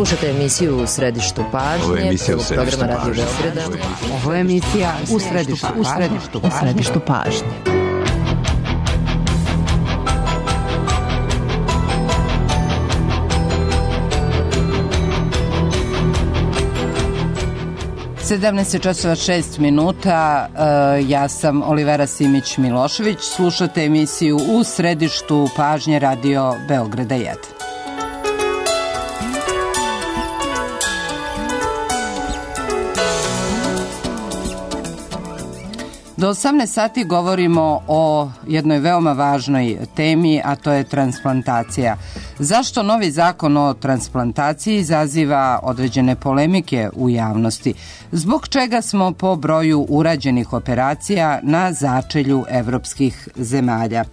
Slušate emisiju U središtu pažnje, programa Radio Beograda. Ovo je emisija U središtu pažnje. časova 6 minuta, ja sam Olivera Simić-Milošević, slušate emisiju U središtu pažnje Radio Beograda 1. Do 18 sati govorimo o jednoj veoma važnoj temi, a to je transplantacija. Zašto novi zakon o transplantaciji izaziva određene polemike u javnosti? Zbog čega smo po broju urađenih operacija na začelju evropskih zemalja?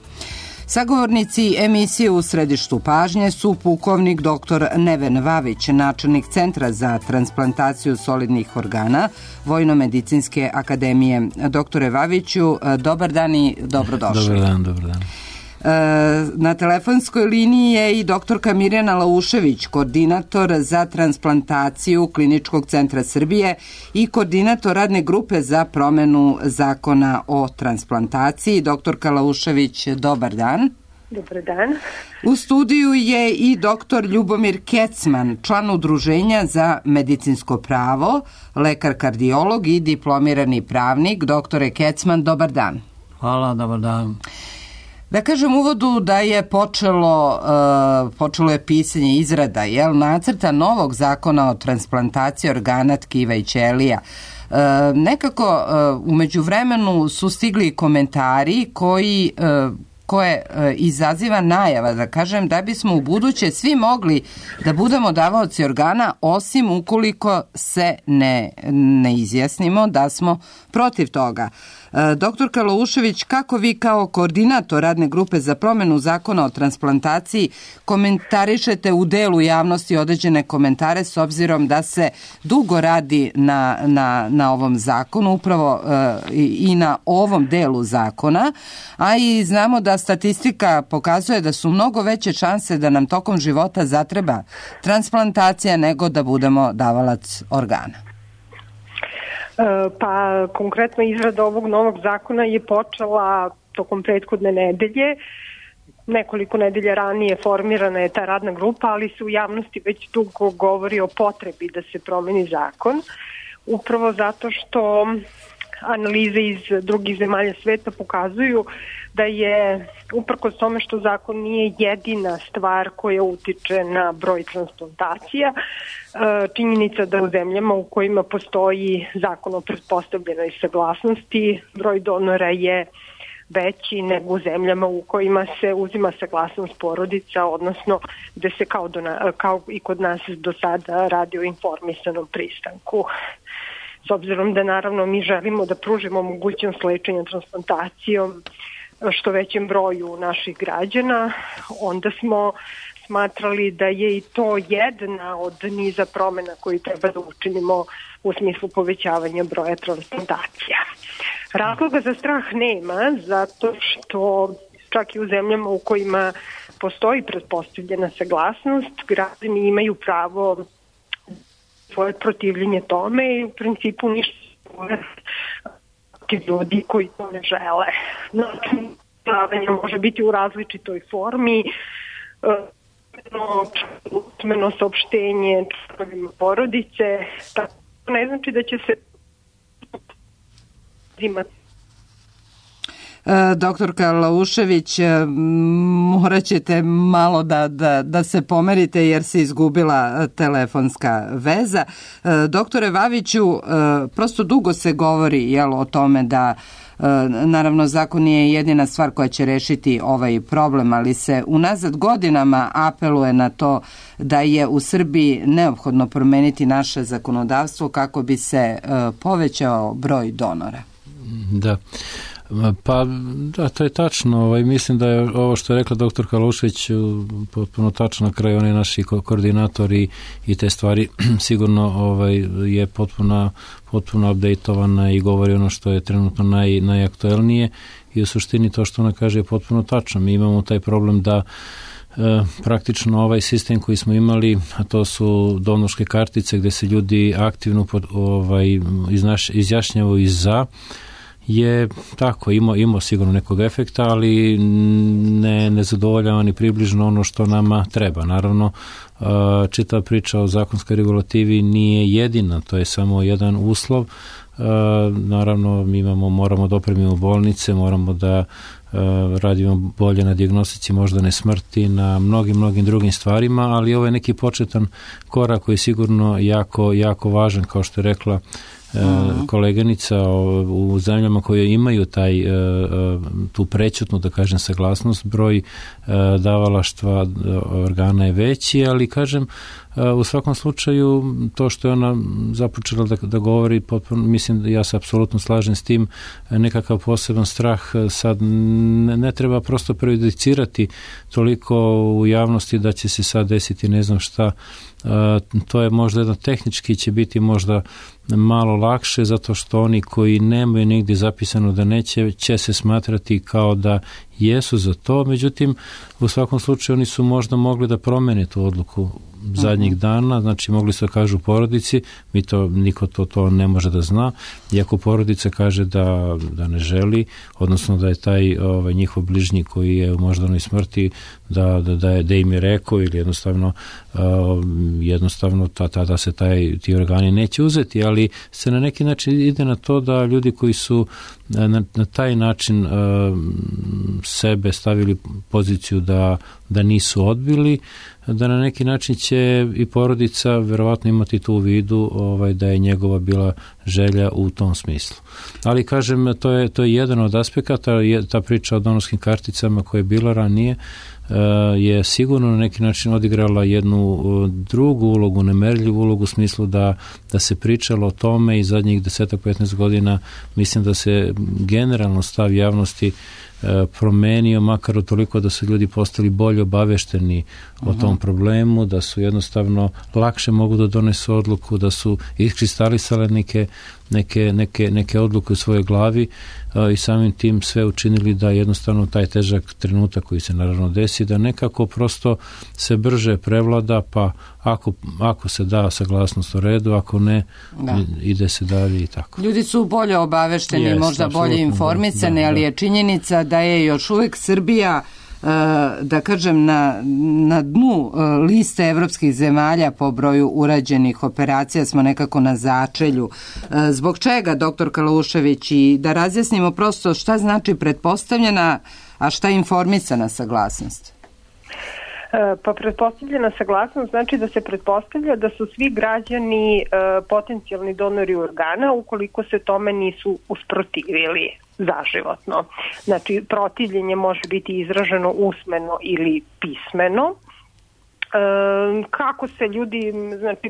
Sagovornici emisije U središtu pažnje su pukovnik dr. Neven Vavić, načelnik Centra za transplantaciju solidnih organa Vojno-medicinske akademije. Doktore Vaviću, dobar dan i dobrodošli. Dobar dan. Na telefonskoj liniji je i doktorka Mirjana Laušević, koordinator za transplantaciju Kliničkog centra Srbije i koordinator radne grupe za promenu zakona o transplantaciji. Doktorka Laušević, dobar dan. Dobar dan. U studiju je i doktor Ljubomir Kecman, član Udruženja za medicinsko pravo, lekar kardiolog i diplomirani pravnik. Doktore Kecman, dobar dan. Hvala, dobar dan. Da kažem uvodu da je počelo je pisanje izrada nacrta novog zakona o transplantaciji organa, tkiva i ćelija. Nekako u međuvremenu su stigli komentari koje izaziva najava, da kažem, da bismo u buduće svi mogli da budemo davaoci organa, osim ukoliko se ne izjasnimo da smo protiv toga. Doktorka Laušević, kako vi kao koordinator radne grupe za promenu zakona o transplantaciji komentarišete u delu javnosti određene komentare, s obzirom da se dugo radi na ovom zakonu, upravo i na ovom delu zakona, a i znamo da statistika pokazuje da su mnogo veće šanse da nam tokom života zatreba transplantacija nego da budemo davalac organa? Pa konkretno izrada ovog novog zakona je počela tokom prethodne nedelje. Nekoliko nedelja ranije formirana je ta radna grupa, ali se u javnosti već dugo govori o potrebi da se promeni zakon. Upravo zato što analize iz drugih zemalja sveta pokazuju da je, uprkos tome što zakon nije jedina stvar koja utiče na broj transplantacija, činjenica da u zemljama u kojima postoji zakon o pretpostavljenoj saglasnosti, broj donora je veći nego u zemljama u kojima se uzima saglasnost porodica, odnosno gde se kao i kod nas do sada radi o informisanom pristanku. S obzirom da naravno mi želimo da pružimo mogućnost lečenja transplantacijom što većem broju naših građana, onda smo smatrali da je i to jedna od niza promena koji treba da učinimo u smislu povećavanja broja transplantacija. Razloga za strah nema, zato što čak i u zemljama u kojima postoji pretpostavljena saglasnost, građani imaju pravo svoje protivljenje tome i u principu ništa ljudi koji to ne žele. Znači, može biti u različitoj formi, usmeno saopštenje članovima porodice, tako ne znači da će se imati. Doktorka Laušević, morat ćete malo da se pomerite jer se izgubila telefonska veza. Doktore Vaviću, prosto dugo se govori o tome da naravno zakon nije jedina stvar koja će rešiti ovaj problem, ali se unazad godinama apeluje na to da je u Srbiji neophodno promeniti naše zakonodavstvo kako bi se povećao broj donora. Da. Pa da, to je tačno. Mislim da je ovo što je rekla doktorka Laušević potpuno tačno. Na kraju oni naši koordinatori i te stvari sigurno je potpuno updateovana i govori ono što je trenutno najaktuelnije i u suštini to što ona kaže je potpuno tačno. Mi imamo taj problem da praktično ovaj sistem koji smo imali, a to su donorske kartice gde se ljudi aktivno izjašnjavaju i za, je tako, imao sigurno nekog efekta, ali ne zadovoljava ni približno ono što nama treba. Naravno, čitava priča o zakonskoj regulativi nije jedina, to je samo jedan uslov. Naravno, mi moramo da opremimo bolnice, moramo da radimo bolje na dijagnostici moždane smrti, na mnogim drugim stvarima, ali ovo je neki početan korak koji je sigurno jako važan, kao što je rekla koleganica, u zemljama koje imaju tu prećutnu, da kažem, saglasnost, broj davalaštva organa je veći, ali kažem, u svakom slučaju to što je ona započela da govori, potpuno, mislim da ja se apsolutno slažem s tim, nekakav poseban strah sad ne treba prosto prejudicirati toliko u javnosti da će se sad desiti ne znam šta. To je možda jedno tehnički, će biti možda malo lakše, zato što oni koji nemaju nigdje zapisano da neće, će se smatrati kao da jesu za to, međutim u svakom slučaju oni su možda mogli da promene tu odluku zadnjih dana, znači mogli su da kažu porodici, niko to ne može da zna, iako porodica kaže da ne želi, odnosno da je taj njihov bližnji koji je u moždanoj smrti da im je rekao, ili jednostavno tada se ti organi neće uzeti, ali se na neki način ide na to da ljudi koji su na taj način sebe stavili poziciju da nisu odbili, da na neki način će i porodica verovatno imati tu u vidu da je njegova bila želja u tom smislu. Ali kažem, to je jedan od aspekata, ta priča o donorskim karticama koja je bila ranije, je sigurno na neki način odigrala jednu drugu ulogu, nemerljivu ulogu u smislu da se pričalo o tome i zadnjih 10-15 godina mislim da se generalno stav javnosti promenio, makar u toliko da su ljudi postali bolje obavešteni o tom problemu, da su jednostavno lakše mogu da donesu odluku, da su iskristalisale neke odluke u svojoj glavi i samim tim sve učinili da jednostavno taj težak trenutak koji se naravno desi, da nekako prosto se brže prevlada, pa ako se da saglasnost u redu, ako ne, ide se dalje i tako. Ljudi su bolje obavešteni, možda bolje informisani, ali je činjenica da je još uvek Srbija, da kažem, na dnu liste evropskih zemalja po broju urađenih operacija, smo nekako na začelju. Zbog čega, doktor Kalušević, i da razjasnimo prosto šta znači pretpostavljena, a šta je informisana saglasnost? Pa pretpostavljena saglasnost znači da se pretpostavlja da su svi građani potencijalni donori organa ukoliko se tome nisu usprotivili zaživotno. Znači, protivljenje može biti izraženo usmeno ili pismeno. Kako se ljudi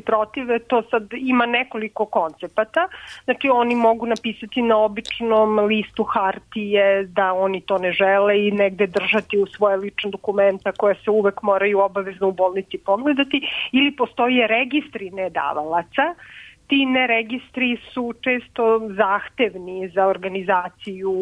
protive, to sad ima nekoliko koncepata. Znači, oni mogu napisati na običnom listu hartije da oni to ne žele i negde držati u svoje lične dokumenta koje se uvek moraju obavezno u bolnici pogledati, ili postoje registri nedavalaca. Ti neregistri su često zahtevni za organizaciju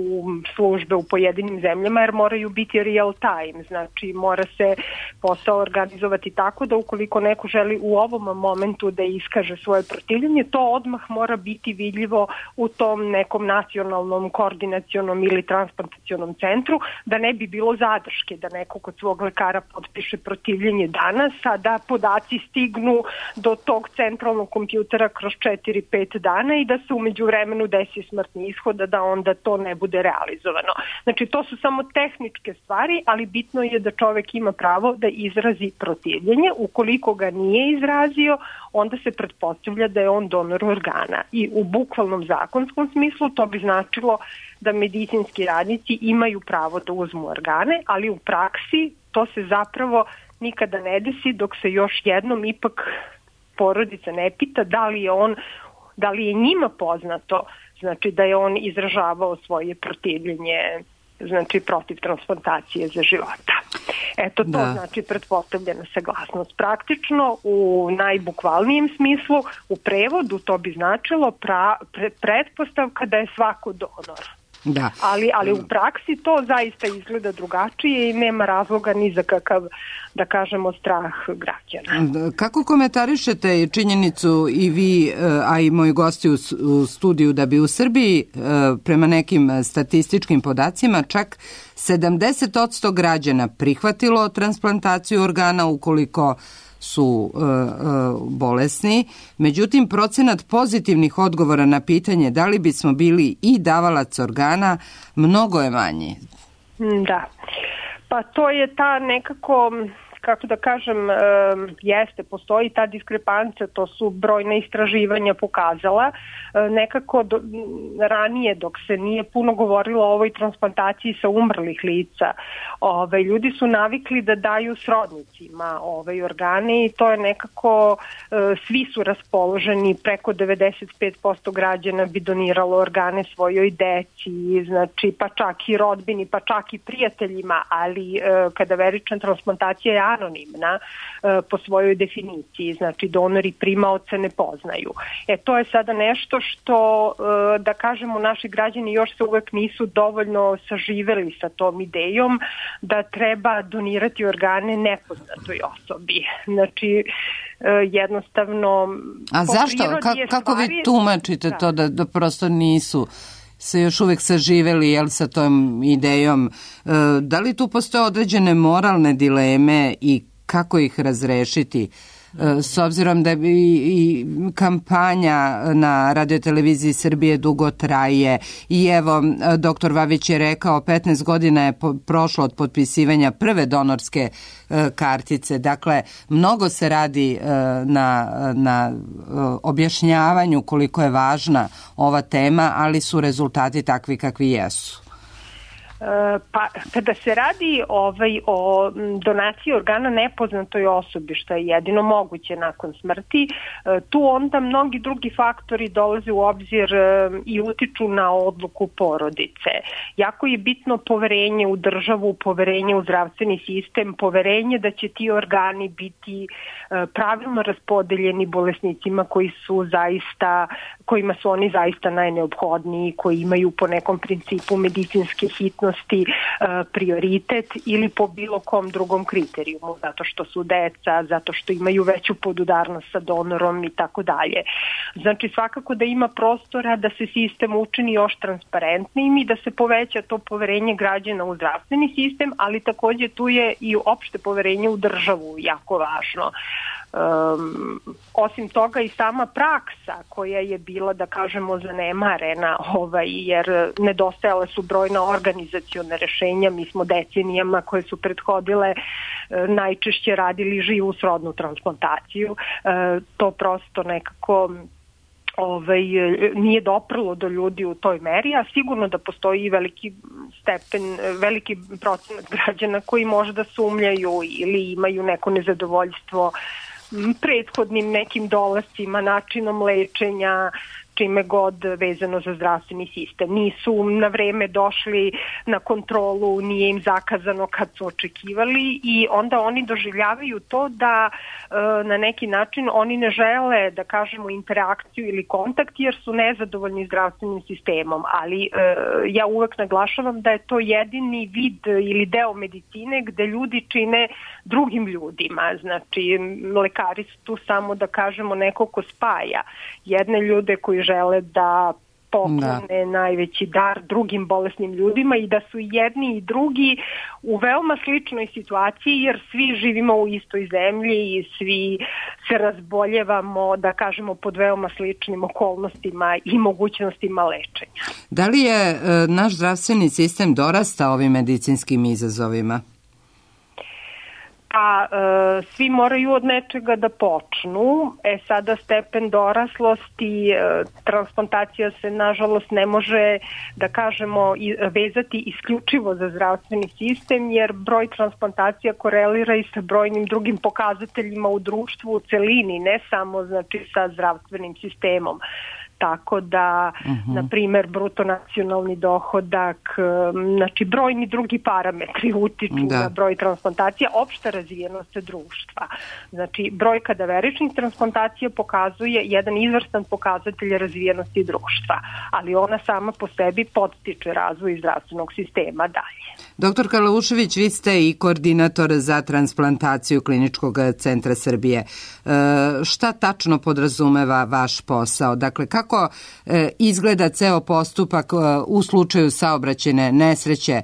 službe u pojedinim zemljama jer moraju biti real time, znači mora se posao organizovati tako da ukoliko neko želi u ovom momentu da iskaže svoje protivljenje, to odmah mora biti vidljivo u tom nekom nacionalnom koordinacionom ili transplantacionom centru, da ne bi bilo zadrške, da neko kod svog lekara potpiše protivljenje danas, a da podaci stignu do tog centralnog kompjutera kroz 4-5 dana i da se umeđu vremenu desi smrtni ishod, da onda to ne bude realizovano. Znači, to su samo tehničke stvari, ali bitno je da čovek ima pravo da izrazi protivljenje. Ukoliko ga nije izrazio, onda se pretpostavlja da je on donor organa. I u bukvalnom zakonskom smislu to bi značilo da medicinski radnici imaju pravo da uzmu organe, ali u praksi to se zapravo nikada ne desi dok se još jednom ipak porodica ne pita da li je njima poznato, znači da je on izražavao svoje protivljenje, znači protiv transplantacije za života. Eto, to znači pretpostavljena saglasnost. Praktično, u najbukvalnijem smislu, u prevodu to bi značilo pretpostavka da je svako donor. Da. Ali u praksi to zaista izgleda drugačije i nema razloga ni za kakav, da kažemo, strah građana. Kako komentarišete činjenicu i vi, a i moji gosti u studiju, da bi u Srbiji prema nekim statističkim podacima čak 70% građana prihvatilo transplantaciju organa ukoliko su bolesni, međutim procenat pozitivnih odgovora na pitanje da li bismo bili i davalac organa mnogo je manji. Da, pa to je ta nekako, kako da kažem, postoji ta diskrepancija, to su brojna istraživanja pokazala. Nekako ranije, dok se nije puno govorilo o ovoj transplantaciji sa umrlih lica, ljudi su navikli da daju srodnicima organe i to je nekako, svi su raspoloženi, preko 95% građana bi doniralo organe svojoj deci, znači pa čak i rodbini, pa čak i prijateljima, ali kadaverična transplantacija je anonimna po svojoj definiciji, znači donori primaoca ne poznaju. To je sada nešto što, da kažemo, naši građani još se uvek nisu dovoljno saživeli sa tom idejom da treba donirati organe nepoznatoj osobi. Znači, jednostavno... A zašto? Kako vi tumačite to da prosto nisu se još uvek saživeli sa tom idejom? Da li tu postoje određene moralne dileme i kako ih razrešiti? S obzirom da i kampanja na radioteleviziji Srbije dugo traje i evo, doktor Vavić je rekao 15 godina je prošlo od potpisivanja prve donorske kartice. Dakle, mnogo se radi na objašnjavanju koliko je važna ova tema, ali su rezultati takvi kakvi jesu. Pa kada se radi o donaciji organa nepoznatoj osobi, što je jedino moguće nakon smrti, tu onda mnogi drugi faktori dolaze u obzir i utiču na odluku porodice. Jako je bitno poverenje u državu, poverenje u zdravstveni sistem, poverenje da će ti organi biti pravilno raspodeljeni bolesnicima kojima su oni zaista najneophodniji, koji imaju po nekom principu medicinske hitnosti prioritet ili po bilo kom drugom kriterijumu, zato što su deca, zato što imaju veću podudarnost sa donorom i tako dalje. Znači svakako da ima prostora da se sistem učini još transparentnijim i da se poveća to poverenje građana u zdravstveni sistem, ali takođe tu je i opšte poverenje u državu jako važno. Osim toga i sama praksa koja je bila, da kažemo, zanemarena, jer nedostajale su brojna organizaciona rešenja. Mi smo decenijama koje su prethodile najčešće radili živu srodnu transplantaciju. To prosto nekako nije doprlo do ljudi u toj meri, a sigurno da postoji i veliki procenat građana koji možda sumnjaju ili imaju neko nezadovoljstvo prethodnim nekim dolascima, načinom lečenja, čime god vezano za zdravstveni sistem. Nisu na vreme došli na kontrolu, nije im zakazano kad su očekivali i onda oni doživljavaju to da na neki način oni ne žele, da kažemo, interakciju ili kontakt jer su nezadovoljni zdravstvenim sistemom, ali ja uvek naglašavam da je to jedini vid ili deo medicine gde ljudi čine drugim ljudima. Znači, lekari su tu samo, da kažemo, neko ko spaja jedne ljude koji žele da poklone najveći dar drugim bolesnim ljudima i da su jedni i drugi u veoma sličnoj situaciji jer svi živimo u istoj zemlji i svi se razboljevamo, da kažemo, pod veoma sličnim okolnostima i mogućnostima lečenja. Da li je naš zdravstveni sistem dorastao ovim medicinskim izazovima? Pa svi moraju od nečega da počnu. Sada stepen doraslosti, transplantacija se nažalost ne može, da kažemo, vezati isključivo za zdravstveni sistem, jer broj transplantacija korelira i sa brojnim drugim pokazateljima u društvu u celini, ne samo, znači, sa zdravstvenim sistemom. tako da, na primer, bruto nacionalni dohodak, znači brojni drugi parametri utiču na broj transplantacija, opšta razvijenost društva. Znači, broj kadaveričnih transplantacija pokazuje jedan izvrstan pokazatelj razvijenosti društva, ali ona sama po sebi podstiče razvoj zdravstvenog sistema dalje. Doktor Kalušević, vi ste i koordinator za transplantaciju Kliničkog centra Srbije. Šta tačno podrazumeva vaš posao? Dakle, kako izgleda ceo postupak u slučaju saobraćajne nesreće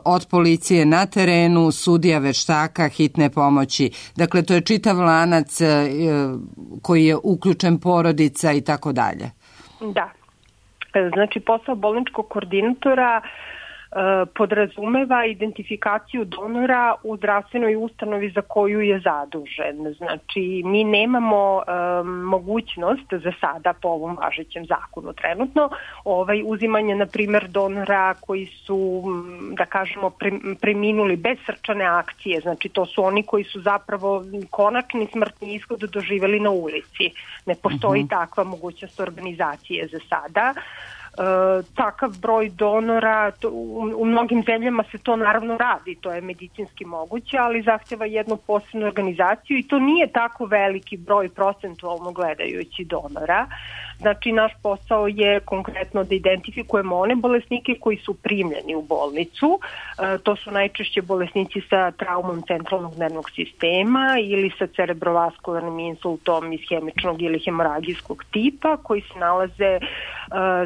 od policije na terenu, sudija, veštaka, hitne pomoći? Dakle, to je čitav lanac koji je uključen, porodica i tako dalje. Da. Znači, posao bolničkog koordinatora podrazumeva identifikaciju donora u zdravstvenoj ustanovi za koju je zadužen. Znači, mi nemamo mogućnost za sada po ovom važećem zakonu trenutno uzimanje, na primjer, donora koji su, da kažemo, preminuli bez srčane akcije. Znači, to su oni koji su zapravo konačni smrtni ishod doživjeli na ulici. Ne postoji takva mogućnost organizacije za sada. Takav broj donora, u mnogim zemljama se to naravno radi, to je medicinski moguće, ali zahtjeva jednu posebnu organizaciju i to nije tako veliki broj procentualno gledajući donora. Znači, naš posao je konkretno da identifikujemo one bolesnike koji su primljeni u bolnicu. To su najčešće bolesnici sa traumom centralnog nervnog sistema ili sa cerebrovaskularnim insultom ishemičnog ili hemoragijskog tipa koji se nalaze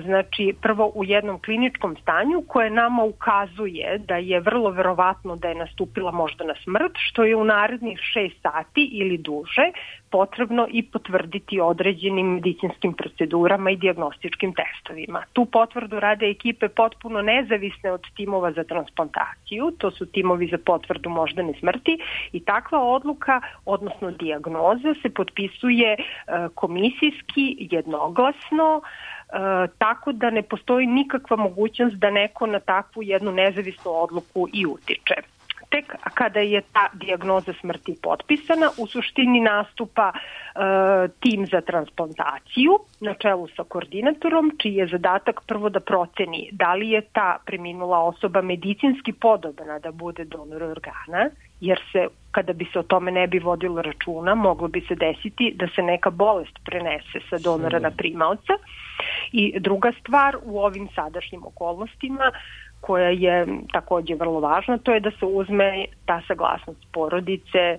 znači prvo u jednom kliničkom stanju koje nama ukazuje da je vrlo verovatno da je nastupila moždana smrt, što je u narednih 6 sati ili duže potrebno i potvrditi određenim medicinskim procedurama i dijagnostičkim testovima. Tu potvrdu rade ekipe potpuno nezavisne od timova za transplantaciju, to su timovi za potvrdu moždane smrti i takva odluka, odnosno dijagnoza, se potpisuje komisijski, jednoglasno, tako da ne postoji nikakva mogućnost da neko na takvu jednu nezavisnu odluku i utiče. Tek kada je ta dijagnoza smrti potpisana, u suštini nastupa tim za transplantaciju na čelu sa koordinatorom, čiji je zadatak prvo da proceni da li je ta preminula osoba medicinski podobna da bude donor organa, jer se, kada bi se o tome ne bi vodilo računa, moglo bi se desiti da se neka bolest prenese sa donora na primaoca. I druga stvar, u ovim sadašnjim okolnostima, koja je također vrlo važna, to je da se uzme ta saglasnost porodice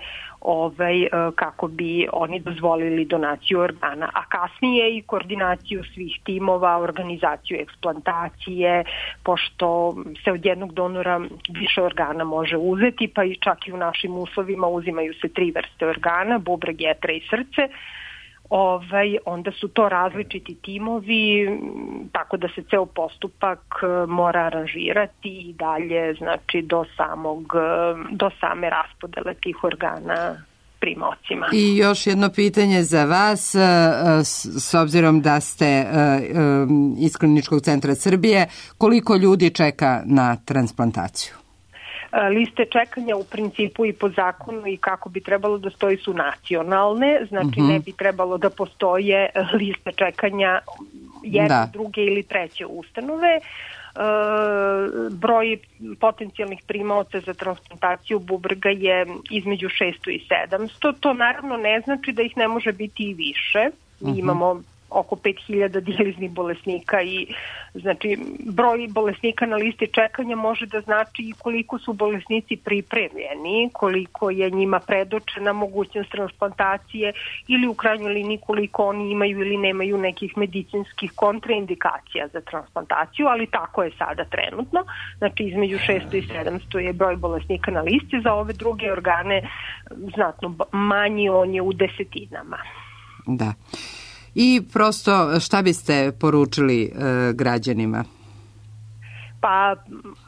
kako bi oni dozvolili donaciju organa, a kasnije i koordinaciju svih timova, organizaciju eksplantacije, pošto se od jednog donora više organa može uzeti, pa i čak i u našim uslovima uzimaju se 3 vrste organa, bubreg, jetra i srce. Onda su to različiti timovi, tako da se ceo postupak mora aranžirati i dalje, znači do same raspodele tih organa primaocima. I još jedno pitanje za vas, s obzirom da ste iz Kliničkog centra Srbije, koliko ljudi čeka na transplantaciju? Liste čekanja u principu i po zakonu i kako bi trebalo da stoji su nacionalne, znači ne bi trebalo da postoje liste čekanja jedne, druge ili treće ustanove. Broj potencijalnih primaoca za transplantaciju bubrega je između 600 i 700. To naravno ne znači da ih ne može biti i više. Mi imamo oko 5000 dijaliznih bolesnika i znači broj bolesnika na listi čekanja može da znači i koliko su bolesnici pripremljeni, koliko je njima predočena mogućnost transplantacije ili u krajnjoj liniji koliko oni imaju ili nemaju nekih medicinskih kontraindikacija za transplantaciju, ali tako je sada trenutno. Znači između 600 i 700 je broj bolesnika na listi, za ove druge organe znatno manji, on je u desetinama. Da. I prosto šta biste poručili građanima? Pa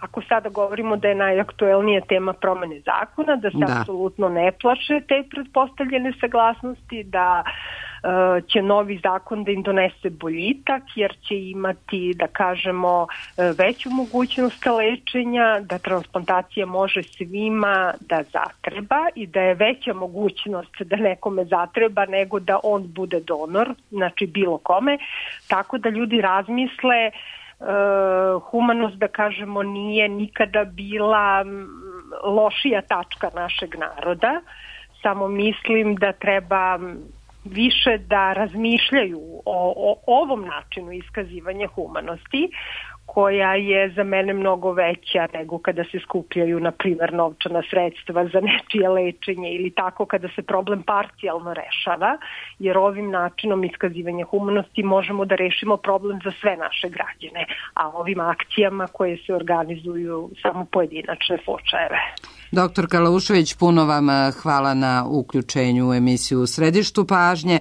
ako sada govorimo da je najaktuelnija tema promene zakona, da se apsolutno ne plaše te pretpostavljene saglasnosti, da će novi zakon da im donese boljitak, jer će imati, da kažemo, veću mogućnost lečenja, da transplantacija može svima da zatreba i da je veća mogućnost da nekome zatreba nego da on bude donor, znači bilo kome, tako da ljudi razmisle. Humanost, da kažemo, nije nikada bila lošija tačka našeg naroda, samo mislim da treba više da razmišljaju o ovom načinu iskazivanja humanosti, koja je za mene mnogo veća nego kada se skupljaju, na primjer, novčana sredstva za nečije lečenje ili tako kada se problem parcijalno rešava, jer ovim načinom iskazivanja humanosti možemo da rešimo problem za sve naše građane, a ovim akcijama koje se organizuju samo pojedinačne slučajeve. Doktor Kalaušević, puno vam hvala na uključenju u emisiju U središtu pažnje.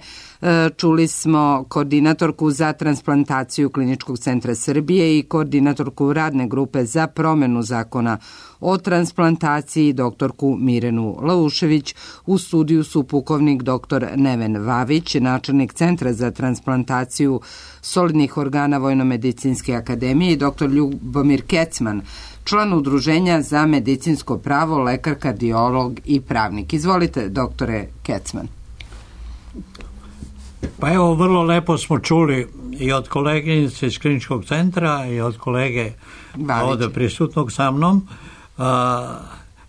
Čuli smo koordinatorku za transplantaciju Kliničkog centra Srbije i koordinatorku radne grupe za promenu zakona o transplantaciji, doktorku Mirenu Laušević. U studiju su pukovnik dr. Neven Vavić, načelnik Centra za transplantaciju solidnih organa Vojno-medicinske akademije, i dr. Ljubomir Kecman, član Udruženja za medicinsko pravo, lekar, kardiolog i pravnik. Izvolite, doktore Kecman. Pa evo, vrlo lepo smo čuli i od koleginice iz Kliničkog centra i od kolege ovdje prisutnog sa mnom.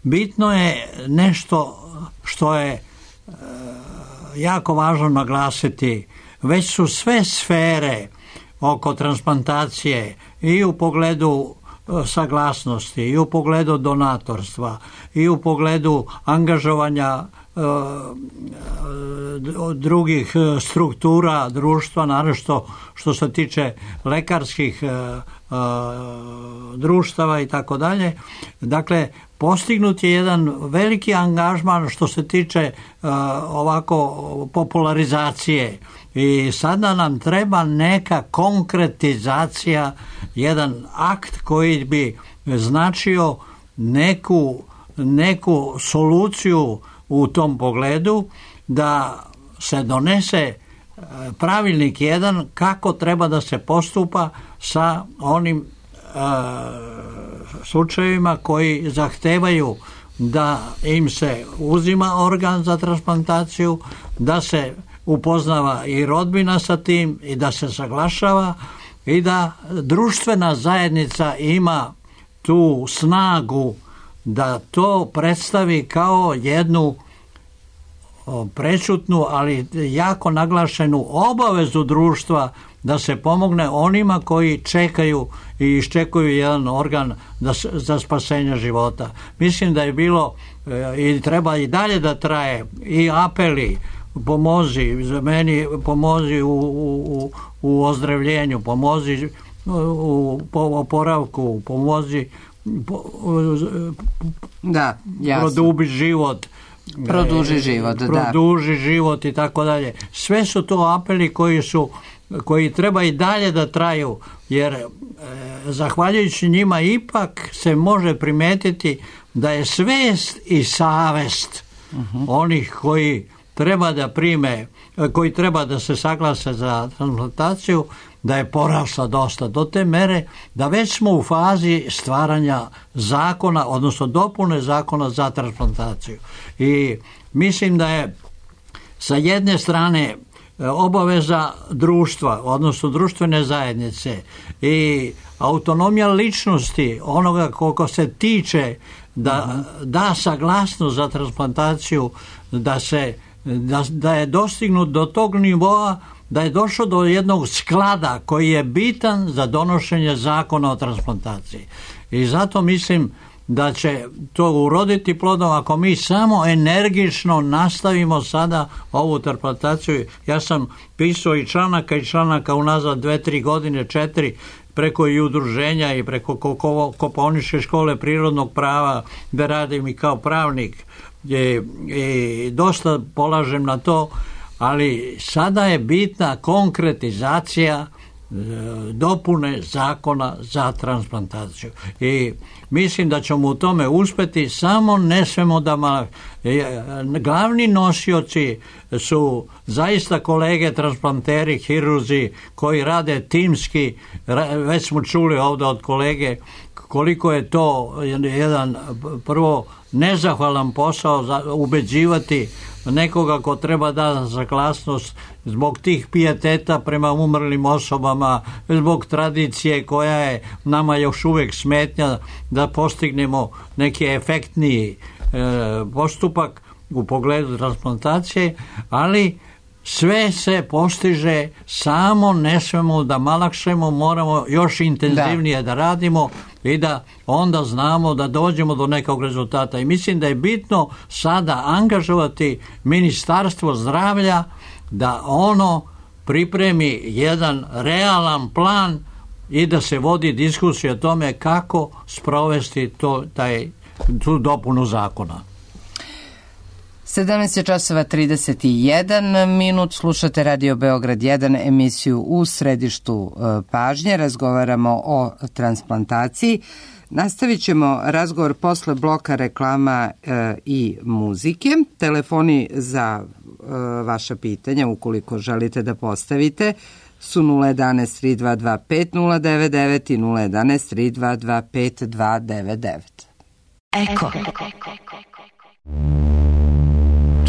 Bitno je nešto što je jako važno naglasiti. Već su sve sfere oko transplantacije i u pogledu saglasnosti, i u pogledu donatorstva, i u pogledu angažovanja drugih struktura društva, naročito što se tiče lekarskih društava i tako dalje. Dakle, postignut je jedan veliki angažman što se tiče ovako popularizacije, i sada nam treba neka konkretizacija, jedan akt koji bi značio neku soluciju u tom pogledu, da se donese pravilnik jedan kako treba da se postupa sa onim slučajevima koji zahtevaju da im se uzima organ za transplantaciju, da se upoznava i rodbina sa tim i da se saglašava i da društvena zajednica ima tu snagu da to predstavi kao jednu prečutnu, ali jako naglašenu obavezu društva da se pomogne onima koji čekaju i iščekuju jedan organ za spasenje života. Mislim da je bilo i treba i dalje da traje i apeli, pomozi za meni, pomozi u ozdravljenju, pomozi u oporavku, pomozi produbi život, produži život i tako dalje. Sve su to apeli koji treba i dalje da traju, jer zahvaljujući njima ipak se može primetiti da je svest i savest onih koji treba da prime, koji treba da se saglase za transplantaciju, da je porasla dosta do te mere da već smo u fazi stvaranja zakona, odnosno dopune zakona za transplantaciju. I mislim da je sa jedne strane obaveza društva, odnosno društvene zajednice i autonomija ličnosti onoga koliko se tiče da saglasnost za transplantaciju, da je dostignut do tog nivoa da je došlo do jednog sklada koji je bitan za donošenje zakona o transplantaciji. I zato mislim da će to uroditi plodom ako mi samo energično nastavimo sada ovu transplantaciju. Ja sam pisao i članaka unazad 2-3 godine, 4, preko i udruženja i preko Kopaoničke škole prirodnog prava, da radim i kao pravnik i dosta polažem na to, ali sada je bitna konkretizacija dopune zakona za transplantaciju. I mislim da ćemo u tome uspjeti, samo ne smemo da glavni nosioci su zaista kolege transplanteri, hirurzi koji rade timski. Već smo čuli ovdje od kolege koliko je to jedan prvo nezahvalan posao ubeđivati nekoga ko treba da saglasnost zbog tih pijeteta prema umrlim osobama, zbog tradicije koja je nama još uvijek smetnja da postignemo neki efektniji postupak u pogledu transplantacije, ali sve se postiže, samo ne smemo da malakšemo, moramo još intenzivnije da radimo i da onda znamo da dođemo do nekog rezultata. I mislim da je bitno sada angažovati Ministarstvo zdravlja da ono pripremi jedan realan plan i da se vodi diskusija o tome kako sprovesti tu dopunu zakona. 17:31, slušate Radio Beograd 1, emisiju U središtu pažnje, razgovaramo o transplantaciji. Nastavit ćemo razgovor posle bloka reklama i muzike. Telefoni za vaša pitanja, ukoliko želite da postavite, su 011 3225 099 i 011 3225 299. Eko.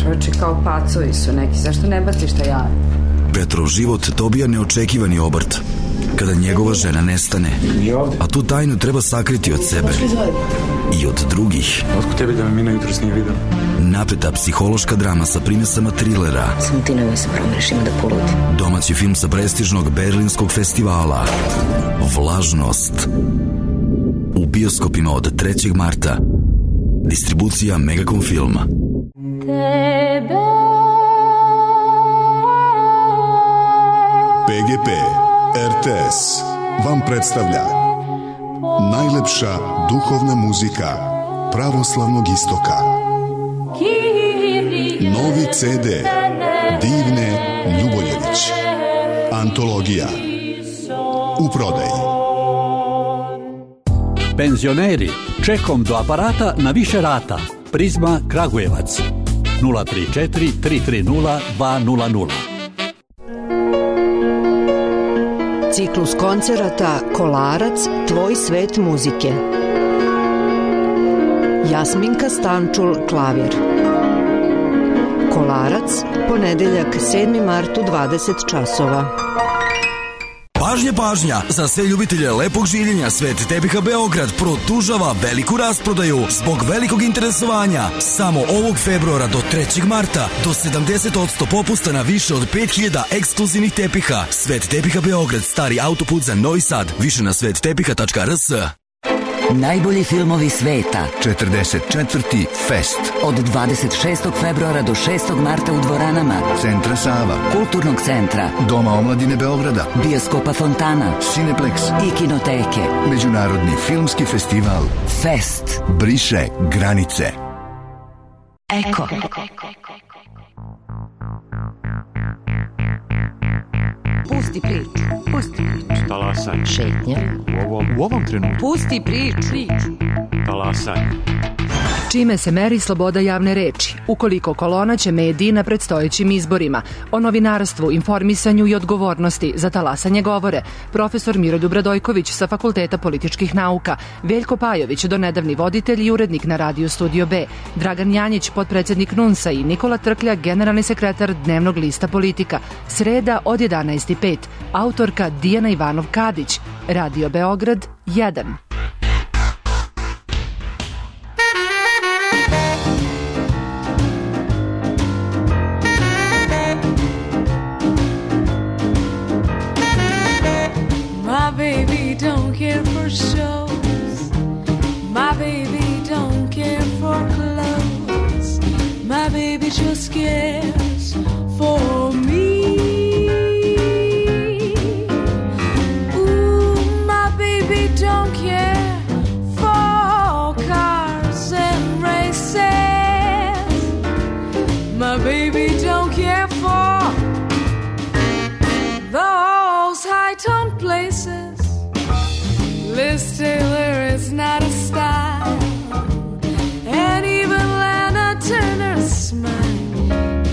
Čovječe, kao pacovi su neki, zašto ne baciš taj jaje? Petrov život dobija neočekivani obrt kada njegova žena nestane, a tu tajnu treba sakriti od sebe i od drugih. Otko tebi da me Mina jutros nije videla? Napeta psihološka drama sa primesama trilera. Samo ti nemoj se promeniš, ima da poludi. Domaći film sa prestižnog berlinskog festivala Vlažnost. U bioskopima od 3. marta. Distribucija Megacom Filma. PGP RTS vam predstavlja najlepša duhovna muzika pravoslavnog istoka. Novi CD Divne Ljuboljević. Antologija. U prodaji. Penzioneri, čekom do aparata na više rata. Prizma Kragujevac 034 330 200. Ciklus koncerata Kolarac, tvoj svet muzike. Jasminka Stančul, klavir. Kolarac, ponedeljak 7. mart u 20 časova. Pažnja, pažnja! Za sve ljubitelje lepog življenja Svet tepiha Beograd produžava veliku rasprodaju zbog velikog interesovanja. Samo ovog februara do 3. marta do 70% popusta na više od 5000 ekskluzivnih tepiha. Svet tepiha Beograd, stari autoput za Novi Sad. Više na svettepiha.rs. Najbolji filmovi sveta. 44. Fest. Od 26. februara do 6. marta u dvoranama Centra Sava, Kulturnog centra, Doma omladine Beograda, Bioskopa Fontana, Cineplex i Kinoteke. Međunarodni filmski festival Fest briše granice. Eko. Pusti priču. Pusti priču. Talasaj. Šetnja. U ovom trenutku. Pusti priču. Talasaj. Čime se meri sloboda javne reči? Ukoliko kolona će mediji na predstojećim izborima. O novinarstvu, informisanju i odgovornosti za talasanje govore profesor Miroljub Radojković sa Fakulteta političkih nauka, Veljko Pajović, donedavni voditelj i urednik na Radio Studio B, Dragan Janjić, potpredsednik NUNS-a i Nikola Trklja, generalni sekretar Dnevnog lista Politika. Sreda od 11:05. Autorka Dijana Ivanov-Kadić. Radio Beograd 1. My baby don't care for shows. My baby don't care for clothes. My baby just cares for me. Ooh, my baby don't care for cars and races. My baby don't care for those high-tone Liz Taylor is not a style, and even Lana Turner's smile,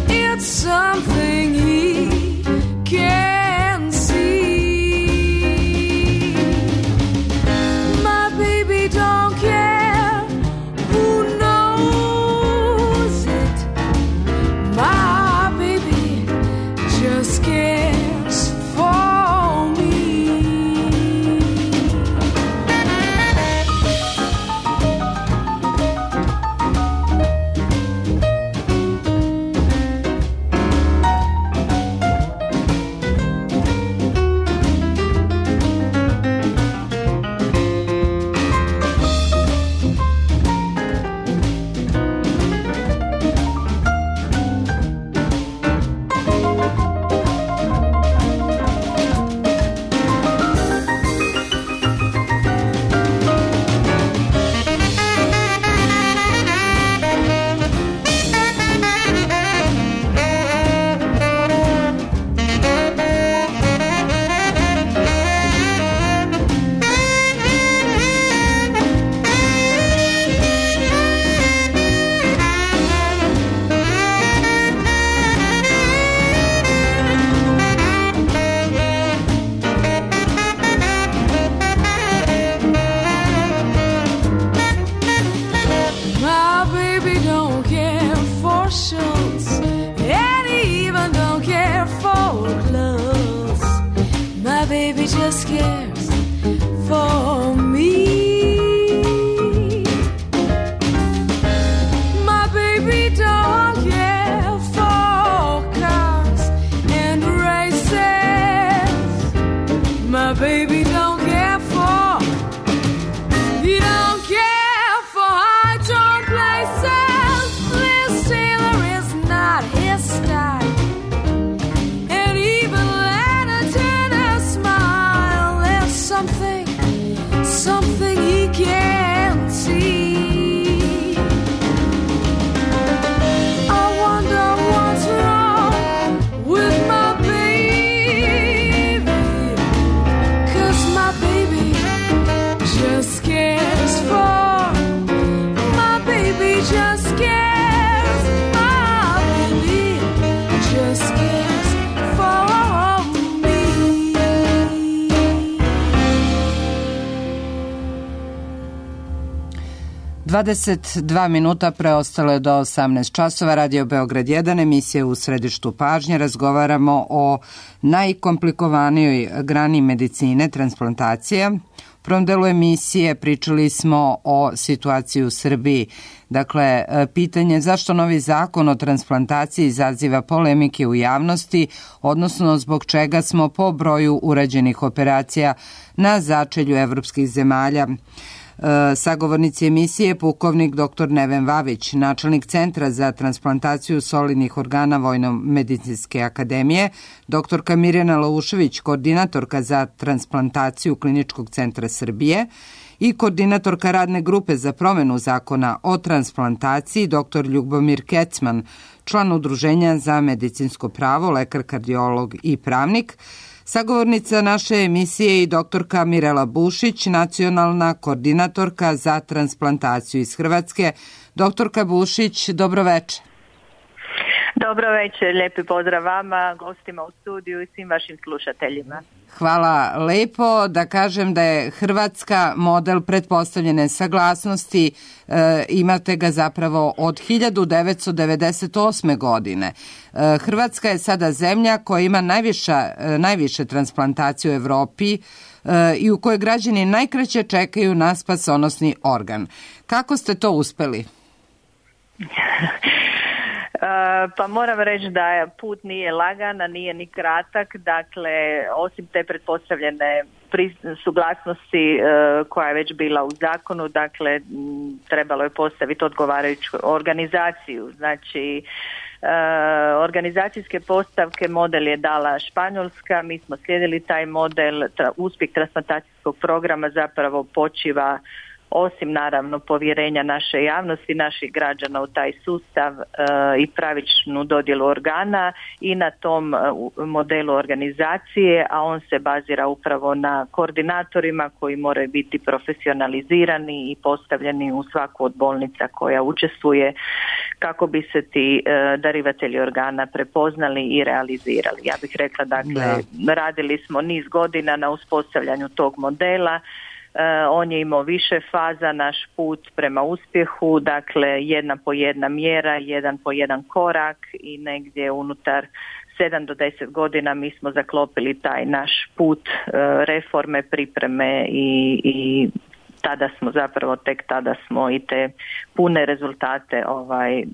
it's something he can see. My baby don't care who knows it. My baby just cares for me. My baby don't care for shows, and he even don't care for clothes. My baby just cares for me. My baby don't care for cars and races. My baby don't care for, he don't care for high tone places. Liz Taylor is not his style, and even Lana Turner's smile, there's something he can't see. I wonder what's wrong with my baby, 'cause my baby just cares for, my baby just cares, my baby just cares for me. 22 minuta preostalo je do 18 časova. Radio Beograd 1, emisija U središtu pažnje. Razgovaramo o najkomplikovanijoj grani medicine, transplantacija. U prvom delu emisije pričali smo o situaciji u Srbiji. Dakle, pitanje zašto novi zakon o transplantaciji izaziva polemike u javnosti, odnosno zbog čega smo po broju urađenih operacija na začelju evropskih zemalja. Sagovornici emisije pukovnik dr. Neven Vavić, načelnik Centra za transplantaciju solidnih organa Vojno-medicinske akademije, dr. Mirjana Laušević, koordinatorka za transplantaciju Kliničkog centra Srbije i koordinatorka radne grupe za promenu zakona o transplantaciji, dr. Ljubomir Kecman, član Udruženja za medicinsko pravo, lekar, kardiolog i pravnik. Sagovornica naše emisije i doktorka Mirela Bušić, nacionalna koordinatorka za transplantaciju iz Hrvatske. Doktorka Bušić, dobro večer. Dobro večer, lijepi pozdrav vama, gostima u studiju i svim vašim slušateljima. Hvala lepo. Da kažem da je Hrvatska model pretpostavljene saglasnosti, imate ga zapravo od 1998. godine. Hrvatska je sada zemlja koja ima najviše transplantacije u Evropi i u kojoj građani najkraće čekaju na spasonosni organ. Kako ste to uspeli? Pa moram reći da put nije lagan, a nije ni kratak. Dakle, osim te pretpostavljene suglasnosti koja je već bila u zakonu, dakle, trebalo je postaviti odgovarajuću organizaciju. Znači, organizacijske postavke model je dala Španjolska, mi smo slijedili taj model. Uspjeh transplantacijskog programa zapravo počiva osim naravno povjerenja naše javnosti, naših građana u taj sustav i pravičnu dodjelu organa i na tom modelu organizacije, a on se bazira upravo na koordinatorima koji moraju biti profesionalizirani i postavljeni u svaku od bolnica koja učestvuje kako bi se ti darivatelji organa prepoznali i realizirali. Ja bih rekla, dakle, radili smo niz godina na uspostavljanju tog modela. On je imao više faza, naš put prema uspjehu, dakle jedna po jedna mjera, jedan po jedan korak i negdje unutar 7 do 10 godina mi smo zaklopili taj naš put reforme, pripreme i tek tada smo i te pune rezultate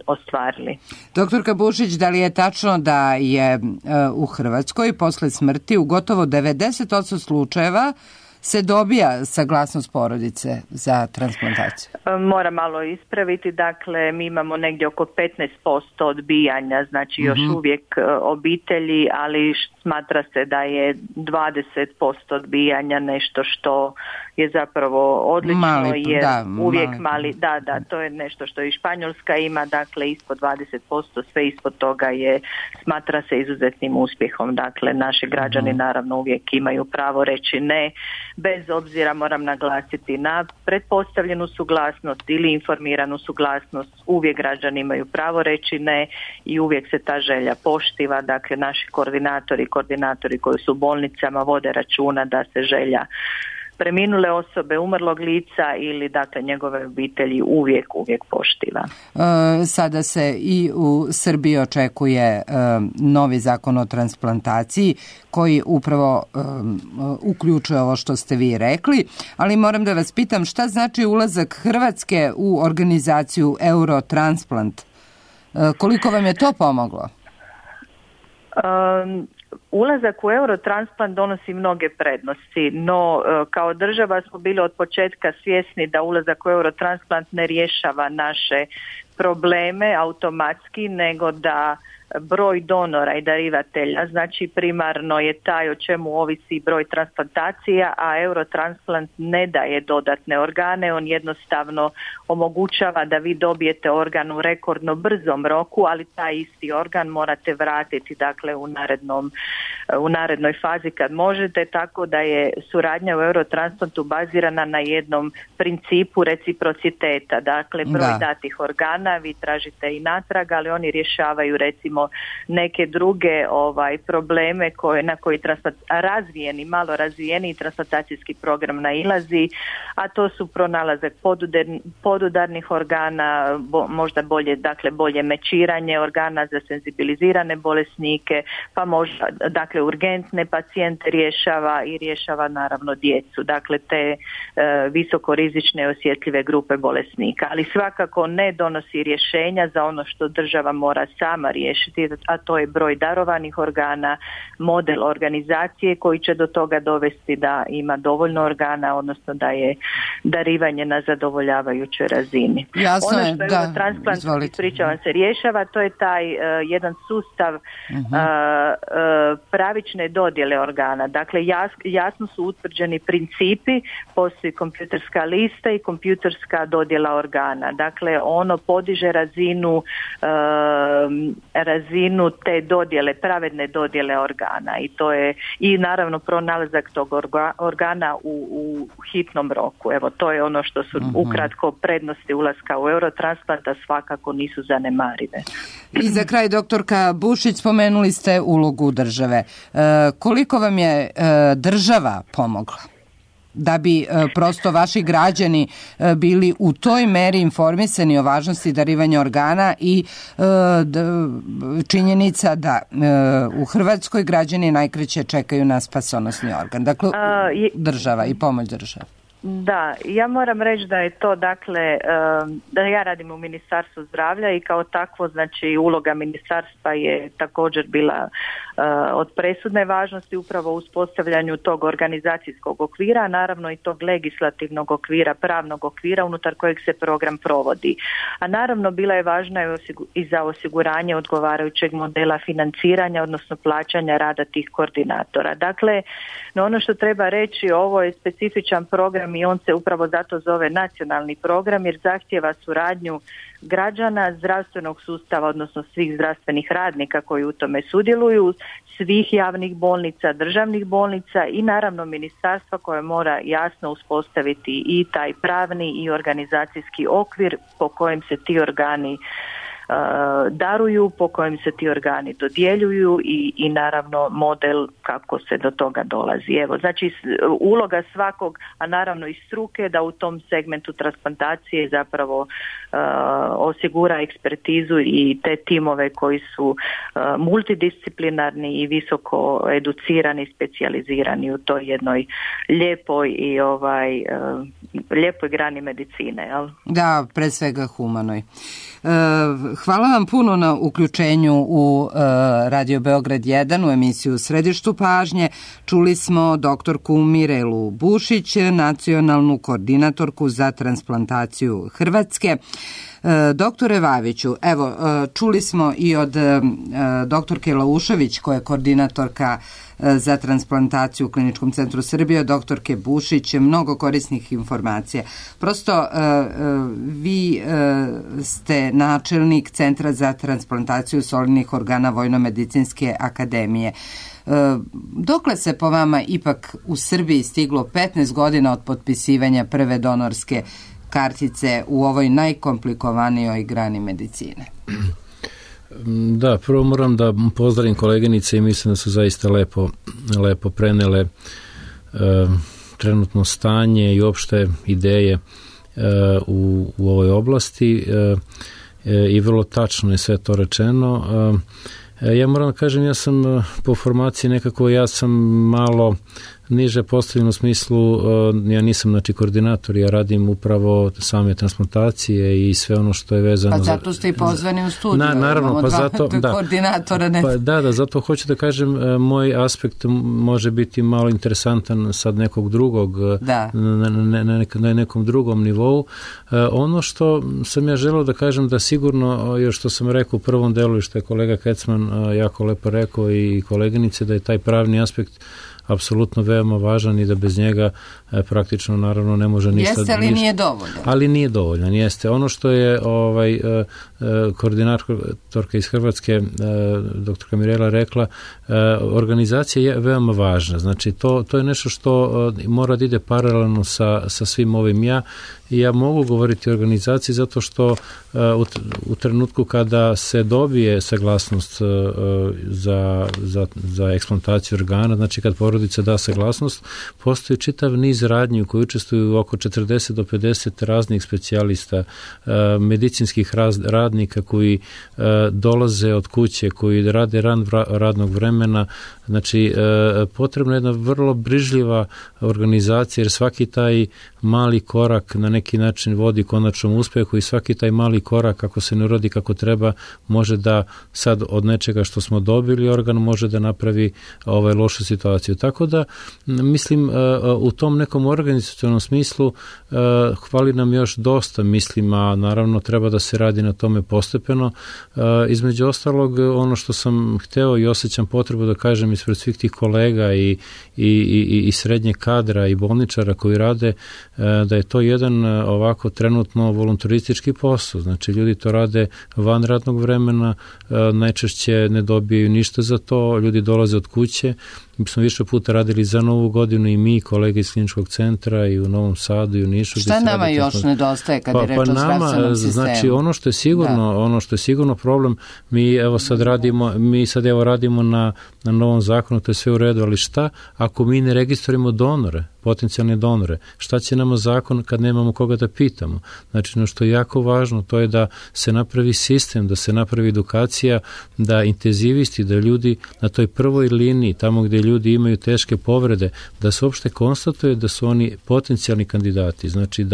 ostvarili. Doktorka Bušić, da li je tačno da je u Hrvatskoj posle smrti u gotovo 90% slučajeva se dobija saglasnost porodice za transplantaciju? Moram malo ispraviti, dakle mi imamo negdje oko 15% odbijanja, znači još uvijek obitelji, ali smatra se da je 20% odbijanja nešto što je zapravo odlično, jer uvijek mali, to je nešto što i Španjolska ima, dakle ispod 20%, sve ispod toga smatra se izuzetnim uspjehom, dakle naši građani naravno uvijek imaju pravo reći ne, bez obzira, moram naglasiti, na pretpostavljenu suglasnost ili informiranu suglasnost, uvijek građani imaju pravo reći ne i uvijek se ta želja poštiva, dakle naši koordinatori koji su u bolnicama vode računa da se želja preminule osobe, umrlog lica ili dakle njegove obitelji uvijek poštiva. Sada se i u Srbiji očekuje novi zakon o transplantaciji koji upravo uključuje ovo što ste vi rekli, ali moram da vas pitam šta znači ulazak Hrvatske u organizaciju Eurotransplant? Koliko vam je to pomoglo? Ulazak u Eurotransplant donosi mnoge prednosti, no kao država smo bili od početka svjesni da ulazak u Eurotransplant ne rješava naše probleme automatski, nego da broj donora i darivatelja, znači primarno je taj o čemu ovisi broj transplantacija, a Eurotransplant ne daje dodatne organe, on jednostavno omogućava da vi dobijete organ u rekordno brzom roku, ali taj isti organ morate vratiti dakle u narednoj fazi kad možete, tako da je suradnja u Eurotransplantu bazirana na jednom principu reciprociteta, dakle broj datih organa vi tražite i natrag, ali oni rješavaju recimo neke druge probleme na koji malo razvijeni transplantacijski program nailazi, a to su pronalazak podudarnih organa, možda bolje mečiranje organa za senzibilizirane bolesnike, pa možda dakle urgentne pacijente rješava naravno djecu, dakle te visokorizične i osjetljive grupe bolesnika, ali svakako ne donosi rješenja za ono što država mora sama riješiti, a to je broj darovanih organa, model organizacije koji će do toga dovesti da ima dovoljno organa, odnosno da je darivanje na zadovoljavajućoj razini. Jasno ono što je Eurotransplant, ispričavam se, rješava, to je taj jedan sustav pravične dodjele organa. Dakle, jasno su utvrđeni principi, postoji kompjuterska lista i kompjuterska dodjela organa. Dakle, ono podiže razinu te dodjele, pravedne dodjele organa i to je i naravno pronalazak tog organa u hitnom roku. Evo, to je ono što su ukratko prednosti ulaska u Eurotransplant, a svakako nisu zanemarive. I za kraj, doktorka Bušić, spomenuli ste ulogu države. Koliko vam je država pomogla da bi prosto vaši građani bili u toj meri informisani o važnosti darivanja organa i činjenica da u Hrvatskoj građani najkraće čekaju na spasonosni organ? Dakle, država i pomoć države. Da, ja moram reći da je to, dakle, da ja radim u Ministarstvu zdravlja i kao takvo, znači, uloga ministarstva je također bila od presudne važnosti upravo u uspostavljanju tog organizacijskog okvira, a naravno i tog legislativnog okvira, pravnog okvira unutar kojeg se program provodi. A naravno bila je važna i za osiguranje odgovarajućeg modela financiranja, odnosno plaćanja rada tih koordinatora. Dakle, no ono što treba reći, ovo je specifičan program i on se upravo zato zove nacionalni program jer zahtijeva suradnju građana, zdravstvenog sustava, odnosno svih zdravstvenih radnika koji u tome sudjeluju, svih javnih bolnica, državnih bolnica i naravno ministarstva koje mora jasno uspostaviti i taj pravni i organizacijski okvir po kojem se ti organi daruju, po kojem se ti organi dodjeljuju i naravno model kako se do toga dolazi. Evo, znači uloga svakog, a naravno i struke da u tom segmentu transplantacije zapravo osigura ekspertizu i te timove koji su multidisciplinarni i visoko educirani, specijalizirani u toj jednoj lijepoj i lijepoj grani medicine. Jel? Da, pre svega humanoj. Hvala vam puno na uključenju u Radio Beograd 1 u emisiju Središtu pažnje. Čuli smo doktorku Mirelu Bušić, nacionalnu koordinatorku za transplantaciju Hrvatske. Doktore Vaviću, evo, čuli smo i od doktorke Laušević, koja je koordinatorka za transplantaciju u Kliničkom centru Srbije, doktorke Bušić, mnogo korisnih informacija. Prosto, vi ste načelnik Centra za transplantaciju solidnih organa Vojno-medicinske akademije. Dokle se po vama ipak u Srbiji stiglo 15 godina od potpisivanja prve donorske kartice u ovoj najkomplikovanijoj grani medicine? Da, prvo moram da pozdravim koleginice i mislim da su zaista lepo prenele trenutno stanje i opšte ideje u ovoj oblasti i vrlo tačno je sve to rečeno. Ja moram da kažem, ja sam po formaciji nekako, ja sam malo niže postavljen u smislu, ja nisam koordinator, ja radim upravo same transplantacije i sve ono što je vezano. Pa zato ste i pozvani u studiju. Naravno, pa zato koordinatora. Ne. Da, zato hoću da kažem, moj aspekt može biti malo interesantan sad nekog drugog, na nekom drugom nivou. Ono što sam ja želeo da kažem, da sigurno, još što sam rekao u prvom delu i što je kolega Kecman jako lepo rekao i koleginice, da je taj pravni aspekt apsolutno veoma važan i da bez njega praktično naravno ne može ništa. Jeste, ali nije dovoljan. Ali nije dovoljan, jeste. Ono što je koordinatorka iz Hrvatske, doktorka Mirela rekla, organizacija je veoma važna. Znači, to je nešto što mora da ide paralelno sa svim ovim. Ja mogu govoriti o organizaciji zato što u trenutku kada se dobije saglasnost za eksplantaciju organa, znači kad porodica da saglasnost, postoji čitav niz radnji u kojoj učestvuju oko 40 do 50 raznih specijalista, medicinskih radnika koji dolaze od kuće, koji rade radnog vremena. Znači, potrebna je jedna vrlo brižljiva organizacija, jer svaki taj mali korak na neki način vodi konačnom uspehu i svaki taj mali korak, ako se ne uradi kako treba, može da sad od nečega što smo dobili organ može da napravi lošu situaciju. Tako da, mislim, u tom nekom organizacionom smislu hvali nam još dosta, mislim, a naravno treba da se radi na tome postepeno. Između ostalog, ono što sam hteo i osjećam potrebu da kažem ispred svih tih kolega i srednje kadra i bolničara koji rade, da je to jedan ovako trenutno voluntaristički posao. Znači, ljudi to rade van radnog vremena, najčešće ne dobiju ništa za to, ljudi dolaze od kuće. Mi smo više puta radili za Novu godinu i mi, kolege iz Kliničkog centra i u Novom Sadu i u Nišu. Šta nama još nedostaje kad je reč o zdravstvenom sistemu? Znači, ono što je sigurno problem, mi sad radimo na novom zakonu, to je sve u redu, ali šta ako mi ne registrujemo donore, potencijalne donore? Šta će nama zakon kad nemamo koga da pitamo? Znači, ono što je jako važno, to je da se napravi sistem, da se napravi edukacija, da intenzivisti, da ljudi na toj prvoj liniji, tamo gdje ljudi imaju teške povrede, da se uopšte konstatuje da su oni potencijalni kandidati. Znači,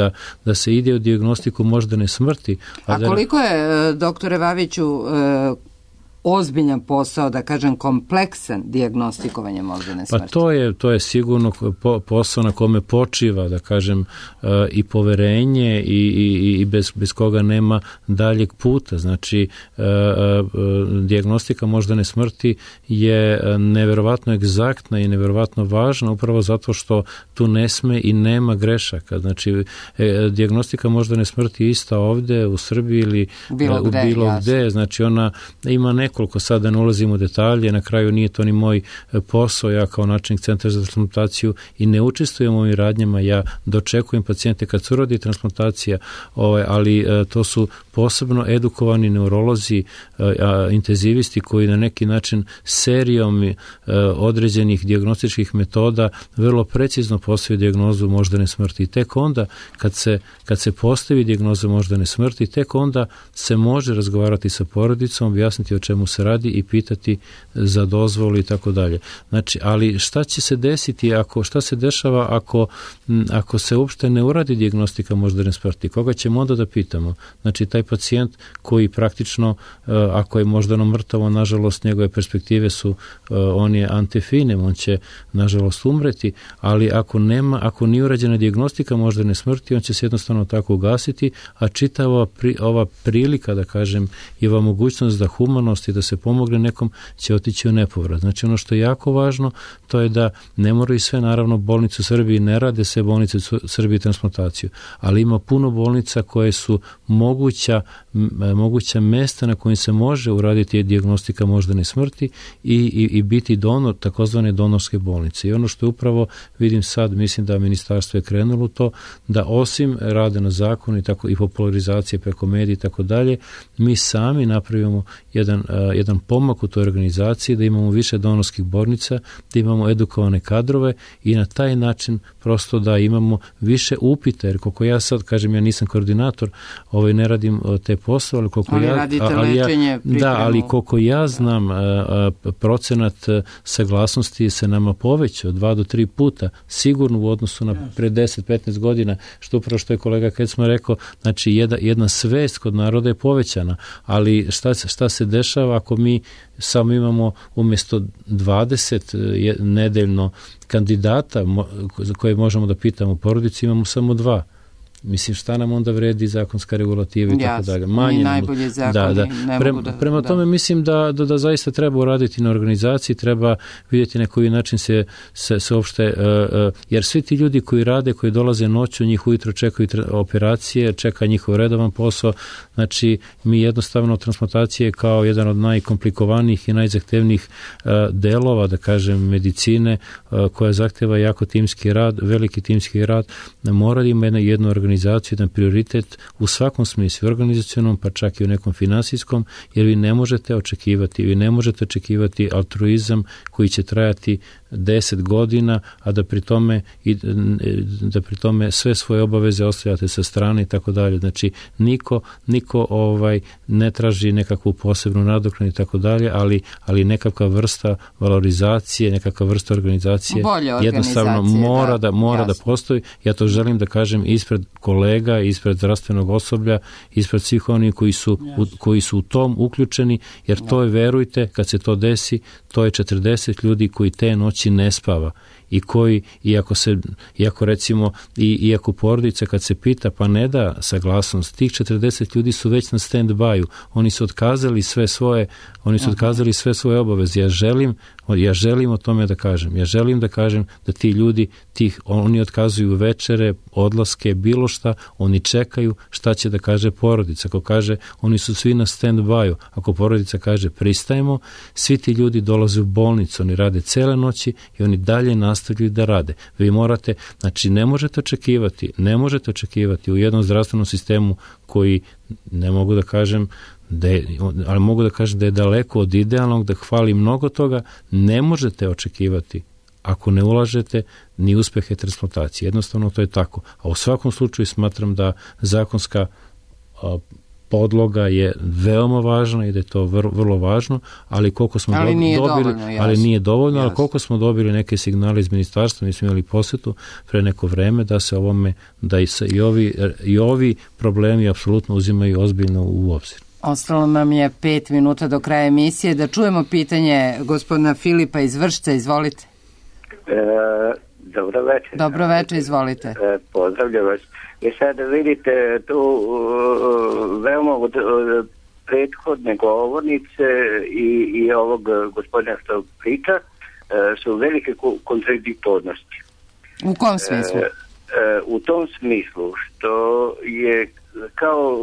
da se ide u dijagnostiku moždane smrti. A koliko je, doktore Vaviću, ozbiljan posao, da kažem kompleksan dijagnostikovanja moždane smrti? Pa to je sigurno posao na kome počiva, da kažem, i poverenje i bez koga nema daljeg puta. Znači, dijagnostika moždane smrti je neverovatno egzaktna i neverovatno važna upravo zato što tu ne sme i nema grešaka. Znači, dijagnostika moždane smrti je ista ovde u Srbiji ili bilo gde. Znači, ona ima nekoliko, sada ne ulazim u detalje, na kraju nije to ni moj posao, ja kao načelnik centra za transplantaciju i ne učestvujem u ovim radnjama, ja dočekujem pacijente kad se uradi transplantacija, ali to su posebno edukovani neurolozi, intenzivisti koji na neki način serijom određenih dijagnostičkih metoda vrlo precizno postavljaju dijagnozu moždane smrti. I tek onda kad se postavi dijagnoza moždane smrti, tek onda se može razgovarati sa porodicom, objasniti o čemu se radi i pitati za dozvolu i tako dalje. Znači, ali šta će se desiti šta se dešava ako se uopšte ne uradi dijagnostika moždane smrti? Koga ćemo onda da pitamo? Znači, taj pacijent koji praktično, ako je moždano mrtavo, nažalost, njegove perspektive su, on je antefinem, on će, nažalost, umreti, ali ako nije urađena dijagnostika moždane smrti, on će se jednostavno tako ugasiti, a čitava ova prilika, da kažem, i ova mogućnost da humanost i da se pomogne nekom će otići u nepovrat. Znači, ono što je jako važno, to je da ne moraju sve, naravno, bolnice u Srbiji, ne rade sve bolnice u Srbiji transplataciju, ali ima puno bolnica koje su moguća mesta na kojim se može uraditi dijagnostika moždane smrti i biti donor, takozvane donorske bolnice. I ono što je upravo, vidim sad, mislim da ministarstvo je krenulo to, da osim rade na zakonu i popularizacije preko medija i tako dalje, mi sami napravimo jedan pomak u toj organizaciji, da imamo više donorskih bolnica, da imamo edukovane kadrove i na taj način prosto da imamo više upita, jer koliko ja sad kažem, ja nisam koordinator, ne radim te poslove, ali koliko ja znam, procenat saglasnosti se nama povećao 2 do 3 puta, sigurno u odnosu na pre 10-15 godina, što upravo što je kolega Kecman rekao, znači jedna svest kod naroda je povećana, ali šta se dešava ako mi samo imamo umjesto 20 nedeljno kandidata za koje možemo da pitamo u porodici, imamo samo 2. Mislim, šta nam onda vredi zakonska regulativa i tako dalje. Manje najbolje zakoni. Prema tome mislim da zaista treba uraditi na organizaciji, treba vidjeti na koji način se uopšte, jer svi ti ljudi koji rade, koji dolaze noću, njih ujutro čekaju operacije, čeka njihov redovan posao. Znači, mi jednostavno transplantacije kao jedan od najkomplikovanijih i najzahtevnijih delova, da kažem, medicine, koja zahteva jako timski rad, veliki timski rad, mora da ima jednu organizaciju, jedan prioritet u svakom smislu, organizacionom, pa čak i u nekom finansijskom, jer vi ne možete očekivati altruizam koji će trajati 10 godina, a da pri tome sve svoje obaveze ostavljate sa strane i tako dalje. Znači, niko ne traži nekakvu posebnu nadoknadu i tako dalje, ali nekakva vrsta valorizacije, nekakva vrsta organizacije jednostavno mora da postoji. Ja to želim da kažem ispred kolega, ispred zdravstvenog osoblja, ispred svih onih koji su u tom uključeni, jer to je, verujte, kad se to desi, to je 40 ljudi koji te noći ne spava i koji, iako porodica kad se pita pa ne da saglasnost, tih 40 ljudi su već na stand-by-u, oni su otkazali sve svoje obaveze. Ja želim o tome da kažem. Ja želim da kažem da ti ljudi, oni otkazuju večere, odlaske, bilo šta, oni čekaju šta će da kaže porodica. Ako kaže, oni su svi na stand-by-u. Ako porodica kaže pristajemo, svi ti ljudi dolaze u bolnicu, oni rade cele noći i oni dalje nastavljaju da rade. Vi morate, znači ne možete očekivati u jednom zdravstvenom sistemu koji, ne mogu da kažem, ali mogu da kažem da je daleko od idealnog, da hvali mnogo toga, ne možete očekivati ako ne ulažete ni uspehe transplantacije. Jednostavno to je tako. A u svakom slučaju smatram da zakonska podloga je veoma važna i da je to vrlo važno, ali koliko smo nije dovoljno, ali koliko smo dobili neke signale iz ministarstva, mi smo imali posjetu pre neko vreme da se i ovi problemi apsolutno uzimaju ozbiljno u obzir. Ostalo nam je 5 minuta do kraja emisije. Da čujemo pitanje gospodina Filipa iz Vršca. Izvolite. Dobro večer. Dobro večer, izvolite. Pozdravljam vas. I sad vidite tu veoma od prethodne govornice i ovog gospodina što priča su velike kontradiktornosti. U kom smislu? U tom smislu što je kao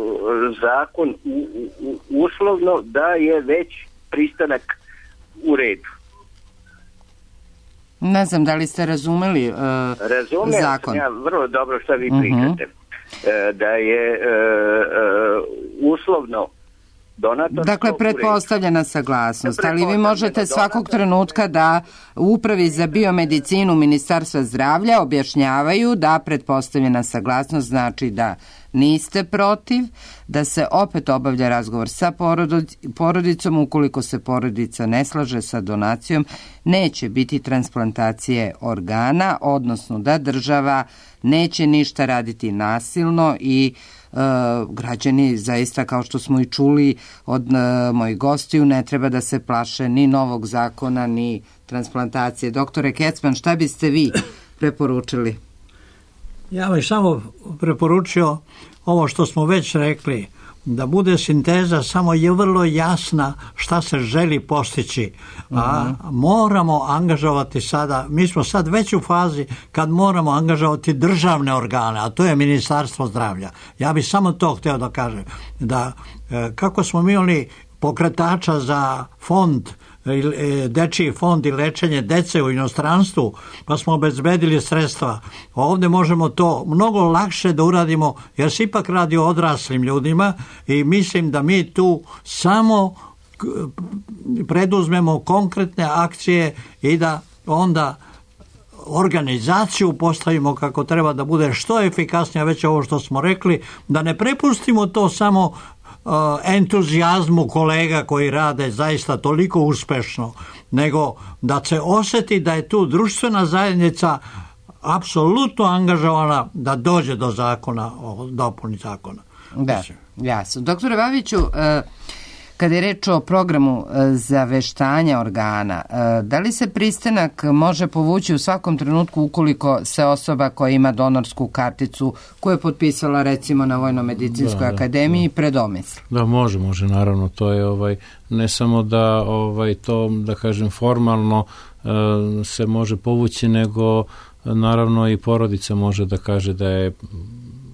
zakon uslovno da je već pristanak u redu. Ne znam da li ste razumeli zakon. Ja vrlo dobro što vi pričate. Da je uslovno donatorstvo. Dakle, pretpostavljena saglasnost, ali vi možete svakog trenutka da u Upravi za biomedicinu Ministarstva zdravlja objašnjavaju da pretpostavljena saglasnost znači da niste protiv, da se opet obavlja razgovor sa porodicom, ukoliko se porodica ne slaže sa donacijom, neće biti transplantacije organa, odnosno da država neće ništa raditi nasilno i građani zaista, kao što smo i čuli od mojih gostiju, ne treba da se plaše ni novog zakona, ni transplantacije. Doktore Kecman, šta biste vi preporučili? Ja bih samo preporučio ovo što smo već rekli, da bude sinteza samo je vrlo jasna šta se želi postići. A moramo angažovati sada, mi smo sad već u fazi kad moramo angažovati državne organe, a to je Ministarstvo zdravlja. Ja bih samo to htio da kažem, da kako smo mi imali pokretača za fond, dečiji fond i lečenje dece u inostranstvu, pa smo obezbedili sredstva. Ovdje možemo to mnogo lakše da uradimo, jer se ipak radi o odraslim ljudima i mislim da mi tu samo preduzmemo konkretne akcije i da onda organizaciju postavimo kako treba da bude što efikasnija, već ovo što smo rekli, da ne prepustimo to samo entuzijazmu kolega koji rade zaista toliko uspešno, nego da se osjeti da je tu društvena zajednica apsolutno angažovana da dođe do zakona, o dopuni zakona. Da, jasno. Doktore Babiću, kada je reč o programu zaveštanja organa, da li se pristanak može povući u svakom trenutku ukoliko se osoba koja ima donorsku karticu, koju je potpisala recimo na Vojno-medicinskoj akademiji, predomisli? Da, može, naravno. To je ne samo da to, da kažem, formalno se može povući, nego naravno i porodica može da kaže da je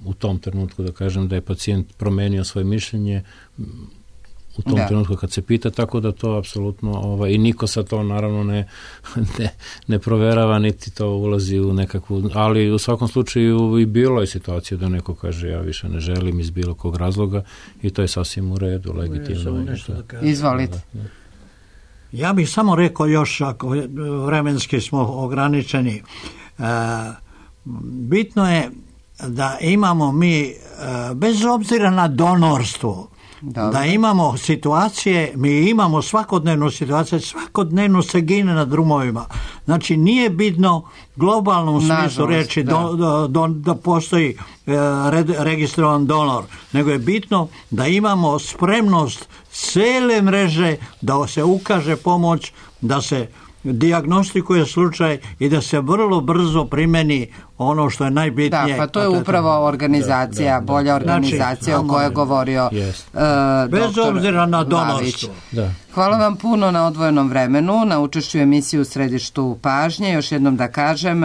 u tom trenutku, da kažem, da je pacijent promenio svoje mišljenje u tom trenutku kad se pita, tako da to apsolutno i niko sa to naravno ne proverava, niti to ulazi u nekakvu, ali u svakom slučaju i bilo je situacija da neko kaže ja više ne želim iz bilo kog razloga i to je sasvim u redu, legitimno. Izvolite. Ja bih samo rekao još, ako vremenski smo ograničeni, bitno je da imamo mi, bez obzira na donorstvo, da imamo situacije, mi imamo svakodnevnu situaciju, svakodnevno se gine na drumovima. Znači nije bitno globalnom smislu reći da postoji registrovan donor, nego je bitno da imamo spremnost cele mreže da se ukaže pomoć, da se dijagnostikuje slučaj i da se vrlo brzo primeni ono što je najbitnije. Da, pa to je upravo organizacija, bolja organizacija o kojoj je govorio bez obzira na donorstvo. Hvala vam puno na odvojenom vremenu, na učešću emisiju u središtu pažnje. Još jednom da kažem,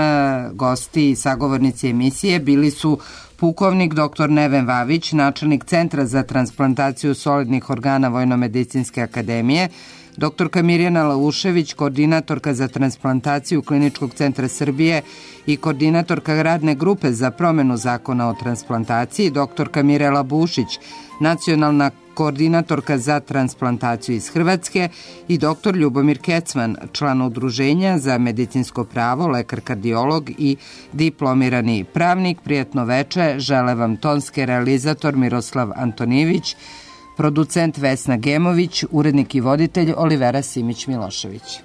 gosti i sagovornici emisije bili su pukovnik dr. Neven Vavić, načelnik Centra za transplantaciju solidnih organa Vojno-medicinske akademije, doktorka Mirjana Laušević, koordinatorka za transplantaciju Kliničkog centra Srbije i koordinatorka radne grupe za promenu zakona o transplantaciji, doktorka Mirela Bušić, nacionalna koordinatorka za transplantaciju iz Hrvatske i dr. Ljubomir Kecman, član udruženja za medicinsko pravo, lekar kardiolog i diplomirani pravnik. Prijatno veče, žele vam tonski realizator Miroslav Antonijević, producent Vesna Gemović, urednik i voditelj Olivera Simić-Milošević.